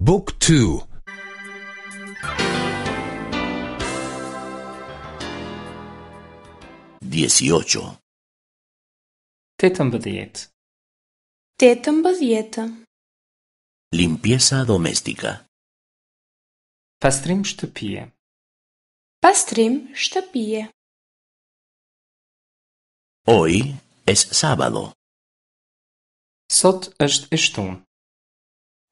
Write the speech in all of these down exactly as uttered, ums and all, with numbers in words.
Book two. Dieciocho. Tetëmbëdhjetë. Tetëmbëdhjetë. Limpieza doméstica. Pastrim shtëpie. Pastrim shtëpie. Hoy es sábado. Sot është e shtunë.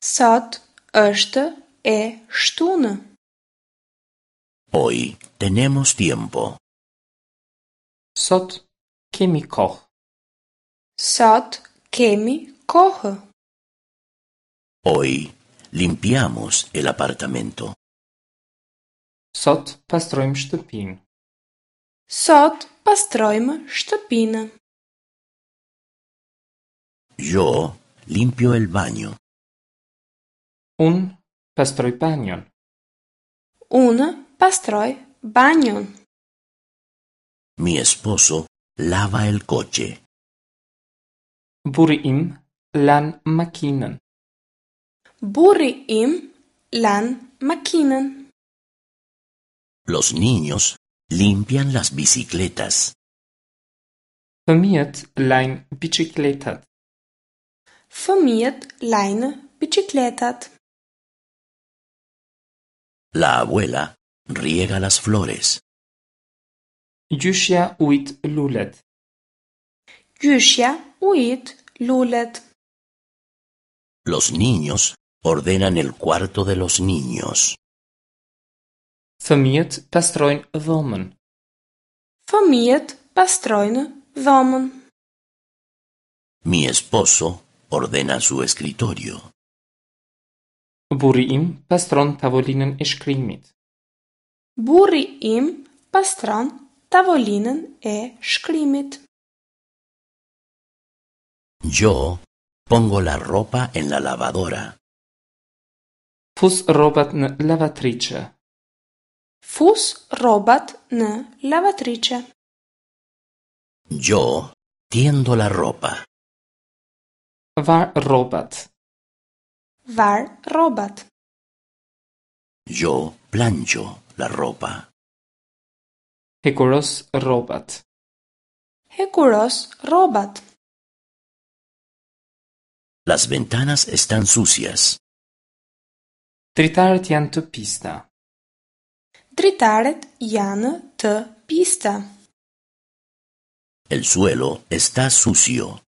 Sot është e shtunë. Hoy tenemos tiempo. Sot kemi kohë. Sot kemi kohë. Hoy limpiamos el apartamento. Sot pastrojmë shtëpinë. Sot pastrojmë shtëpinë. Yo limpio el baño. Unë pastroj banjon. Unë pastroj banjon. Mi esposo lava el coche. Burri im lan makinën. Burri im lan makinën. Los niños limpian las bicicletas. Fëmijët lajnë biçikletat. Fëmijët lajnë biçikletat. La abuela riega las flores. Gjyshja ujit lulet. Gjyshja ujit lulet. Los niños ordenan el cuarto de los niños. Fëmijët pastrojnë dhomën. Fëmijët pastrojnë dhomën. Mi esposo ordena su escritorio. Burri im pastron tavolinën e shkrimit. Burri im pastron tavolinën e shkrimit. Yo pongo la ropa en la lavadora. Fus rrobat në lavatriçe. Fus rrobat në lavatriçe. Yo tiendo la ropa. Var rrobat. Var rrobat. Yo plancho la ropa. Hekuros rrobat. Hekuros rrobat. Las ventanas están sucias. Dritaret janë të pista. Dritaret janë të pista. El suelo está sucio.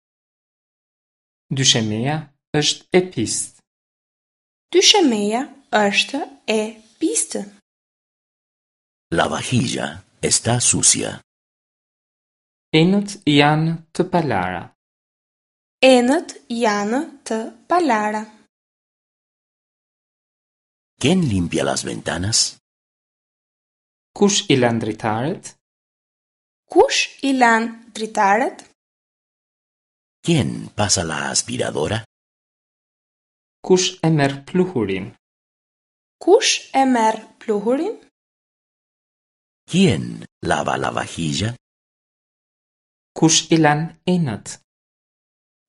Dyshemeja është e pistë. Dyshemeja është e pistë. La vajilla está sucia. Enët janë të palara. Enët janë të palara. ¿Quién limpia las ventanas? Kush i lan dritaret? Kush i lan dritaret? ¿Quién pasa la aspiradora? Kush e merr pluhurin? Kush e merr pluhurin? ¿Quién lava la vajilla? Kush i lan enët?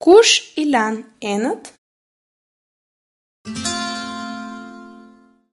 Kush i lan enët?